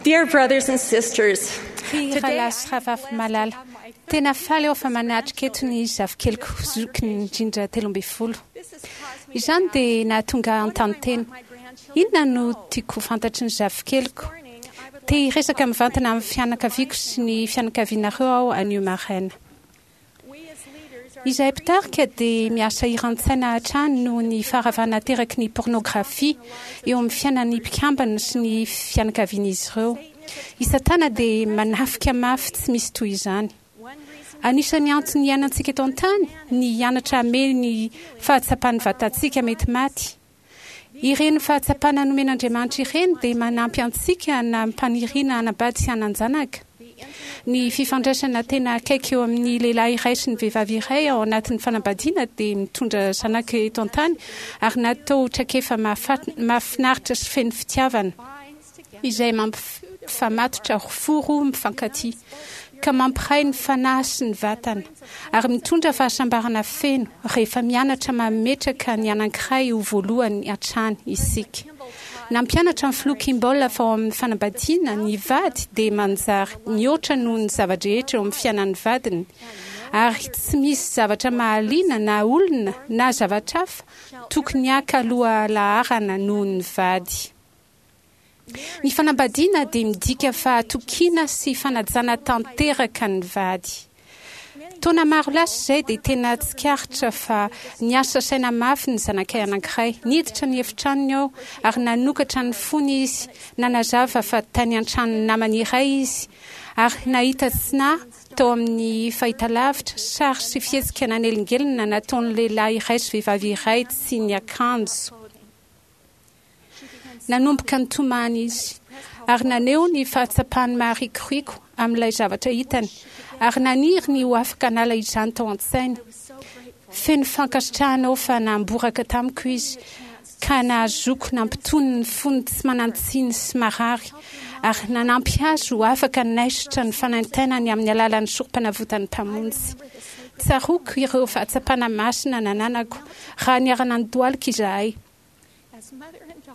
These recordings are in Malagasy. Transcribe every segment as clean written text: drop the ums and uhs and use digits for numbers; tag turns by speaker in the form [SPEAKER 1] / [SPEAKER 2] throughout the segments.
[SPEAKER 1] Dear brothers and sisters,
[SPEAKER 2] Ry
[SPEAKER 1] today
[SPEAKER 2] rahalahy sy rahavavy malala, tena faly aho fa manatrika eto ny zafikeliko zokiny indrindra 13. Izany dia nahatonga ahy hanontany tena, Inona no tiako ho fantatry ny zafikeliko? Te hiresaka mivantana amin'ny fianakaviako sy ny fianakavianareo aho anio maraina. Izahay mpitarika dia miasa hiran-tsaina hatrany noho ny faharavana ateraky ny pôrnôgrafia eo amin'ny fiainan'ny mpikambana sy ny fianakavian'izy ireo. I Satana dia manafika mafy tsy misy toy izany. Anisan'ny antony iainantsika eto an-tany ny hianatra hamehy ny fahatsapan'ny vatantsika mety maty. Ireny fahatsapana nomen'Andriamanitra ireny dia manampy antsika hanam-paniriana hanambady sy hanan-janaka. Ny fifandraisana tena akaiky eo amin'ny lehilahy iray sy ny vehivavy iray ao anatin'ny fanambadiana dia mitondra zanaka eto an-tany ary natao ho traikefa mahafinaritra sy feno fitiavana, izay mampifamatotra fo roa mifankatia, ka mampiray ny fanahy sy ny vatana. Ary mitondra fahasambarana feno rehefa mianatra mametraka ny anankiray ho voalohany hatrany isika. Nampianatra ny Filoha Kimball fa ao amin'ny fanambadiana, ny vady dia manjary mihoatra noho ny zava-drehetra eo amin'ny fiainan'ny vadiny, ary tsy misy zavatra mahaliana na olona na zavatra hafa tokony haka lohalaharana noho ny vady. Ny fanambadiana dia midika fahatokiana sy fanajana tanteraka ny vady. Taona maro lasa izay dia tena tsikaritra fa niasa saina mafy ny zanakay anankiray. Niditra ny efitranony aho ary nanokatra ny fony izy, nanazava fa tany an-tranon'ny namany iray izy ary nahita tsy nahy tao amin'ny fahitalavitra, sary sy fihetsika nanelingelina nataon'ny lehilahy iray sy vehivavy iray tsy niakanjo. Nanomboka nitomany izy, ary naneho ny fahatsapany maharikoriko amin'ilay zavatra hitany, ary naniry ny ho afaka hanala izany tao an-tsainy. Feno fankasitrahana aho fa namboraka tamiko izy, ka nahazoako nampitony ny fony tsy manan-tsiny sy marary, ary nanampy azy ho afaka hanaisotra ny fanaintainany amin'ny alalan'ny Sorompanavotan'ny Mpamonjy. Tsaroako ireo fahatsapana masina nananako raha niara-nandohalika izahay.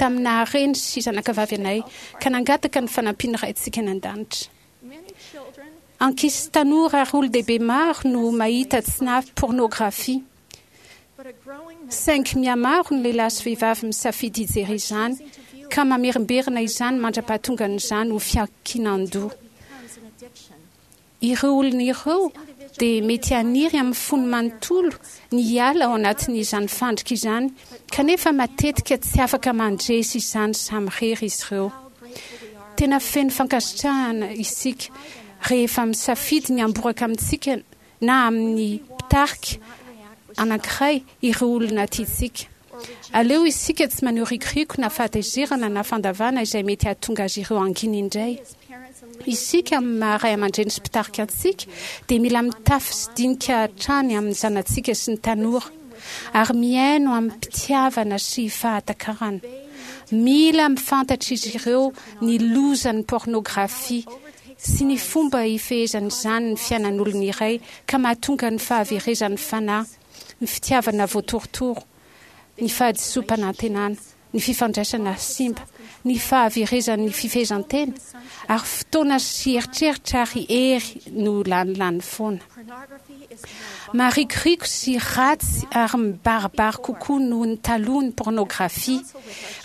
[SPEAKER 2] tamin'ny naha-reny sy zanakavavy anay ka nangataka ny fanampian'ny Raintsika any An-danitra. Ankizy sy tanora ary olon-dehibe maro no mahita tsy nahy pôrnôgrafia. Saingy mihamaro ny lehilahy sy vehivavy misafidy hijery izany ka mamerimberina izany mandra-pahatongan'izany ho fiankinan-doha. Ireo olona ireo dia mety haniry amin'ny fony manontolo ny hiala ao anatin'izany fandrika izany, kanefa matetika tsy afaka mandresy izany samirery izy ireo. Tena feno fankasitrahana isika rehefa misafidy ny hamboraka amintsika na amin'ny mpitarika anankiray ireo olona tiantsika. Aleo isika tsy maneho rikoriko na fahatezerana na fandavana izay mety hahatonga azy ireo hangina indray. Isika amin'ny maha ray aman-dreny sy mpitarika antsika dia mila mitafy sy dinika hatrany amin'ny zanatsika sy ny tanora ary mihaino amim-pitiavana sy fahatakarana. Mila mifantatra izy ireo ny lozan'ny pôrnôgrafia sy ny fomba hifehezan'izany ny fiainan'olona iray ka mahatonga ny fahaverezan'ny fanahy, ny fitiavana voatorotoro, ny fahadisoam-panantenana, ny fifandraisana simba, ny fahaverezan'ny fifehezan-tena, ary fotoana sy eritreritra ary hery no lanilany foana. Marikoriko sy ratsy ary mibaribary kokoa noho ny taloha ny pôrnôgrafia.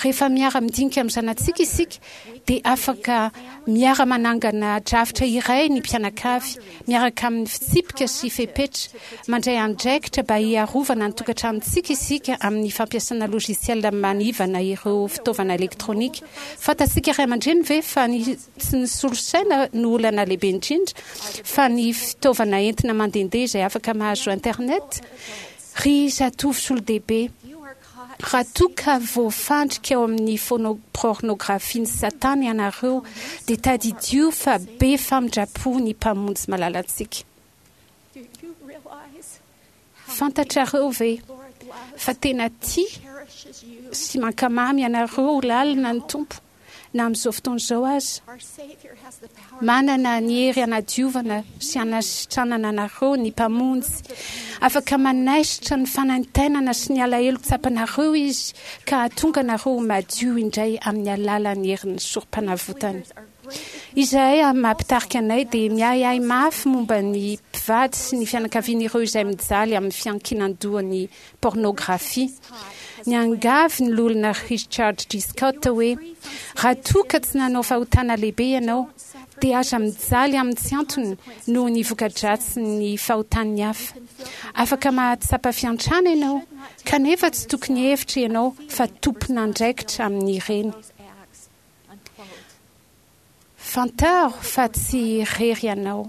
[SPEAKER 2] Rehefa miara-midinika amin'ny zanatsika isika dia afaka miara-manangana drafitra iray ny mpianakavy, miaraka amin'ny fitsipika sy fepetra. Mandray andraikitra mba hiarovana ny tokantranontsika isika amin'ny fampiasana logiciel manivana ireo fitaovana elektronika. Fantatsika ray aman-dreny ve fa ny tsy ny solosaina no olana lehibe indrindra fa ny fitaovana entina mandehandeha izay afaka mahazo internet? Ry zatovo sy olon-dehibe, Raha toa ka voafandrika ao amin'ny pôrnôgrafian'i Satana ianareo, dia tadidio fa be famindram-po ny Mpamonjy malalantsika. Fantatrareo ve fa tena tia sy mankamamy anareo lalina ny Tompo? na amin'izao fotoana izao aza. Manana ny hery hanadiovana sy hanasitranana anareo ny Mpamonjy. Afaka manaisotra ny fanaintainana sy ny alahelo tsapanareo Izy ka hahatonga anareo ho madio indray amin'ny alalan'ny herin'ny Sorompanavotany. Izahay amin'ny maha mpitarika anay dia miahiahy mafy momba ny mpivady sy ny fianakavian'ireo izay mijaly amin'ny fiankinan-dohan'ny pôrnôgrafia. Niangavy ny Loholona Richard G. Scott hoe, Raha toa ka tsy nanao fahotana lehibe ianao, dia aza mijaly amin'ny tsy antony noho ny voka-dratsin'ny fahotan'ny hafa. Afaka mahatsapa fiantrana ianao, kanefa tsy tokony hihevitra ianao fa tompon'andraikitra amin'ireny. Fantaro fa tsy irery ianao.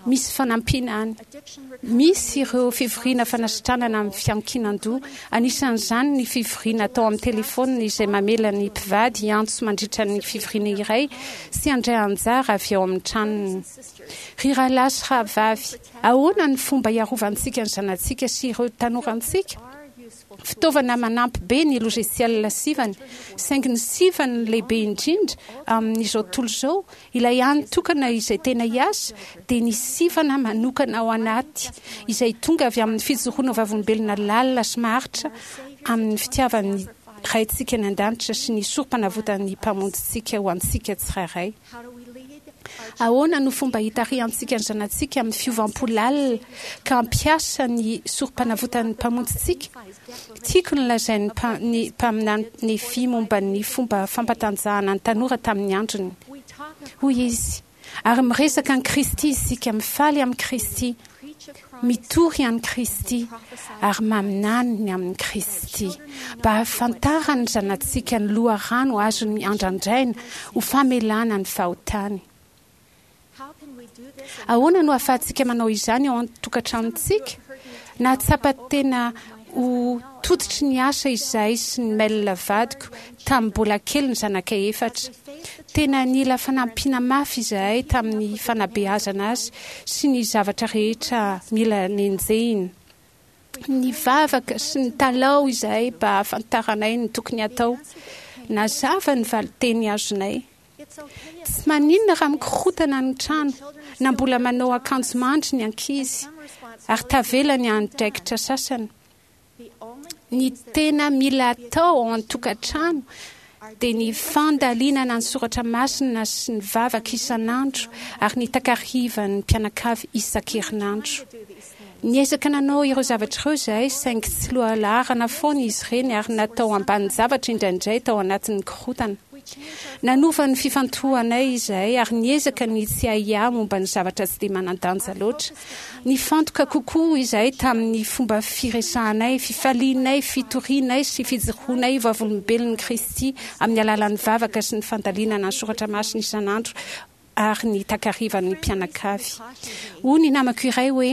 [SPEAKER 2] Misy fanampiana any. Misy ireo fivoriana fanasitranana amin'ny fiankinan-doha, anisan'izany ny fivoriana atao amin'ny telefaonina izay mamela ny mpivady hiantso mandritra ny fivoriana iray sy handray anjara avy ao amin'ny tranony. Ry rahalahy sy rahavavy, ahoana ny fomba hiarovantsika ny zanatsika sy ireo tanorantsika? Fitaovana manampy be ny logiciel sivana, saingy ny sivana lehibe indrindra amin'izao tontolo izao, ilay hany tokana izay tena hiasa, dia ny sivana manokana ao anaty, izay tonga avy amin'ny fijoroana ho vavolombelona lalina sy maharitra amin'ny fitiavan'ny Raintsika any An-danitra sy ny Sorompanavotan'ny Mpamonjintsika ho antsika tsirairay. Ahoana no fomba hitarihantsika ny zanatsika amin'ny fiovam-po lalina ka hampiasa ny Sorompanavotan'ny Mpamonjintsika? Tiako ny lazain'ny ny mpaminany Nefia momba ny fomba fampatanjahana ny tanora tamin'ny androny. Hoy izy, Ary miresaka an'i Kristy isika, mifaly amin'i Kristy, mitory an'i Kristy, ary maminany ny amin'i Kristy, mba hahafantaran'ny zanatsika ny loharano azony andrandraina ho famelana ny fahotany. Ahoana no ahafahantsika manao izany ao an-tokantranontsika? Nahatsapa tena ho tototry ny asa izahay sy ny Mel vadiko tamin'ny mbola kely ny zanakay efatra. Tena nila fanampiana mafy izahay tamin'ny fanabeazana azy sy ny zavatra rehetra mila nenjehina. Nivavaka sy nitalaho izahay mba hahafantaranay ny tokony hatao. Nazava ny valinteny azonay. Tsy maninona raha mikorontana ny trano na mbola manao akanjo mandry ny ankizy ary tavela ny andraikitra sasany. Ny tena mila atao ao an-tokantrano dia ny fandalinana ny soratra masina sy ny vavaka isan'andro ary ny takarivan'ny mpianakavy isan-kerinandro. Niezaka nanao ireo zavatra ireo izahay saingy tsy lohalaharana foana izy ireny ary natao ambanin-javatra indraindray tao anatin'ny korontana. Nanova ny fifantohanay izahay ary niezaka ny tsy hiahiahy momba ny zavatra tsy dia manan-danja loatra. Nifantoka kokoa izahay tamin'ny fomba firesahanay, fifalianay, fitorianay sy fijoroanay vavolombelon'i Kristy amin'ny alalan'ny vavaka sy ny fandalinana ny soratra masina isan'andro ary ny takarivan'ny mpianakavy. Hoy ny namako iray hoe,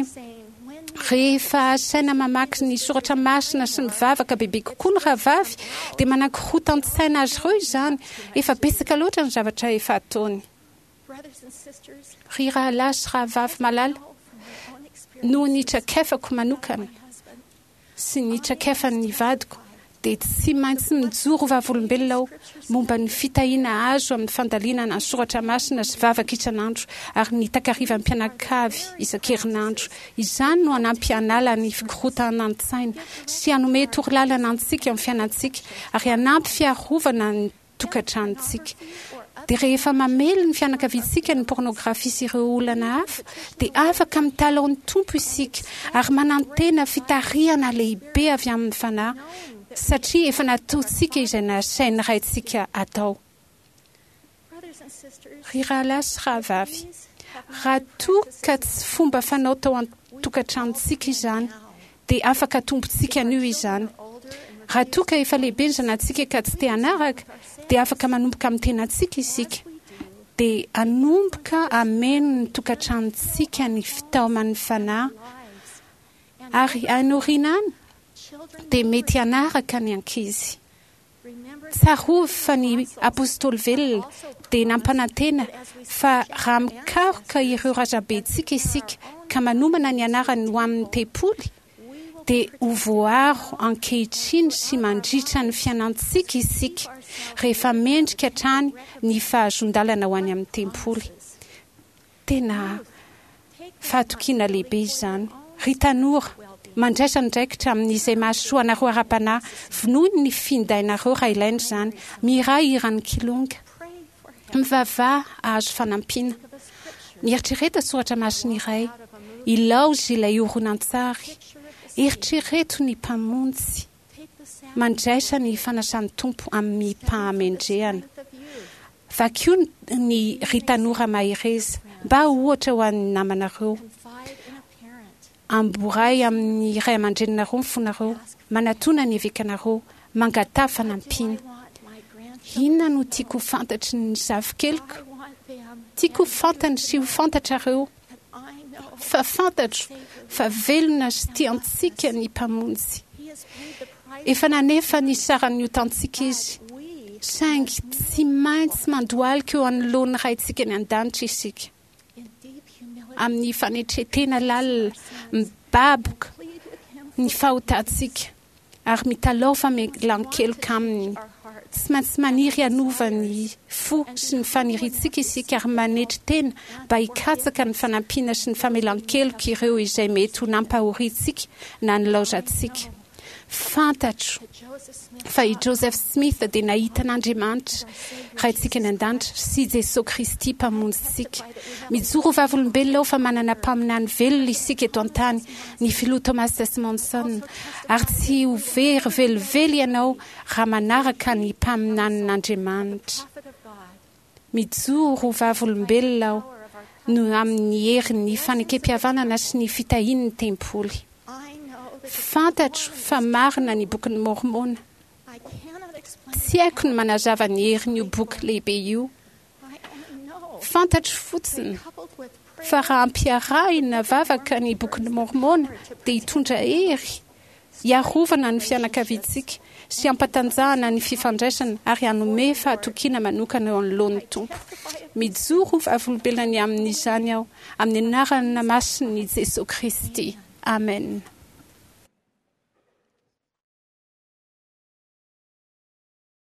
[SPEAKER 2] Rehefa asaina mamaky ny soratra masina sy mivavaka bebe kokoa ny rahavavy, dia manakorotan-tsaina azy ireo izany. Efa betsaka loatra ny zavatra efa ataony. Ry rahalahy sy rahavavy malala, noho ny traikefako manokana, sy ny traikefan'ny vadiko dia tsy maintsy mijoro vavolombelona aho momba ny fitahiana azo amin'ny fandalinana ny soratra masina sy vavaka isan'andro ary ny takarivan'ny mpianakavy isan-kerinandro. Izany no hanampy hanala ny fikorontanan-tsaina sy hanome torolalana antsika amin'ny fiainantsika ary hanampy fiarovana ny tokantranontsika. Dia rehefa mamely ny fianakaviantsika ny pôrnôgrafia sy ireo olana hafa, dia afaka mitalaho ny Tompo isika ary manantena fitarihana lehibe avy amin'ny Fanahy, satria efa nataontsika izay nasain'ny Raintsika atao. Ry rahalahy sy rahavavy, raha toa ka tsy fomba fanao tao an-tokantranontsika izany, dia afaka atombontsika anio izany. Raha toa ka efa lehibe ny zanatsika ka tsy te hanaraka, dia afaka manomboka amin'ny tenantsika isika. Dia hanomboka hameno ny tokantranontsika ny fitaoman'ny Fanahy, ary any aoriana any dia mety hanaraka ny ankizy. Tsarovy fa ny Apostoly velona dia nampanantena fa raha mikaroka ireo razambentsika isika ka manomana ny anarany ho amin'ny tempoly, dia ho voaro ankehitriny sy mandritra ny fiainantsika isika rehefa mendrika hatrany ny fahazoan-dalana ho any amin'ny tempoly. Tena fahatokiana lehibe izany. Ry tanora, mandraisa andraikitra amin'izay mahasoa anareo ara-panahy. Vonoy ny findainareo raha ilaina izany. Mihirà hiran'ny Kilonga. Mivavaha hahazo fanampiana. Mieritrereta soratra masina iray. Ilaozy ilay horonantsary. Eritrereto ny Mpamonjy. Mandraisa ny fanasan'ny Tompo amim-pahamendrehana. Vakio ny Ry Tanora Mahereza, mba ho ohatra ho an'ny namanareo. Amboray amin'ny ray aman-dreninareo ny fonareo. Manatòna ny evekanareo. Mangataha fanampiana. Inona no tiako ho fantatry ny zafikeliko? Tiako ho fantany sy ho fantatrareo fa fantatro fa velona sy tia antsika ny Mpamonjy. Efa nanefa ny saran'ny otantsika Izy, saingy tsy maintsy mandohalika eo anoloan'ny Raintsika any An-danitra isika. Amin'ny fanetren-tena lalina, mibaboka ny fahotantsika ary mitalaho famelan-keloka Aminy. Tsy maintsy maniry hanova ny fo sy ny faniriantsika isika ary manetry tena mba hikatsaka ny fanampiana sy ny famelan-keloka ireo izay mety ho nampahoriantsika na nilaozantsika. Fantatro fa i Joseph Smith dia nahita an'Andriamanitra, Raintsika any An-danitra, sy Jesoa Kristy, Mpamonjintsika. Mijoro ho vavolombelona aho fa manana mpaminany velona isika eto an-tany, ny Filoha Thomas S. Monson, ary tsy ho very velively ianao raha manaraka ny mpaminanin'Andriamanitra. Mijoro ho vavolombelona aho no amin'ny herin'ny fanekempihavanana sy ny fitahian'ny tempoly. Fantatro fa marina ny Bokin'i Môrmôna. Tsy haiko ny manazava ny herin'io boky lehibe io. Fantatro fotsiny fa raha ampiarahina vavaka ny Bokin'i Môrmôna dia hitondra hery hiarovana ny fianakaviantsika sy hampatanjahana ny fifandraisana ary hanome fahatokiana manokana eo anoloan'ny Tompo. Mijoro ho vavolombelona ny amin'izany aho, amin'ny anarana masin'i Jesoa Kristy. Amena.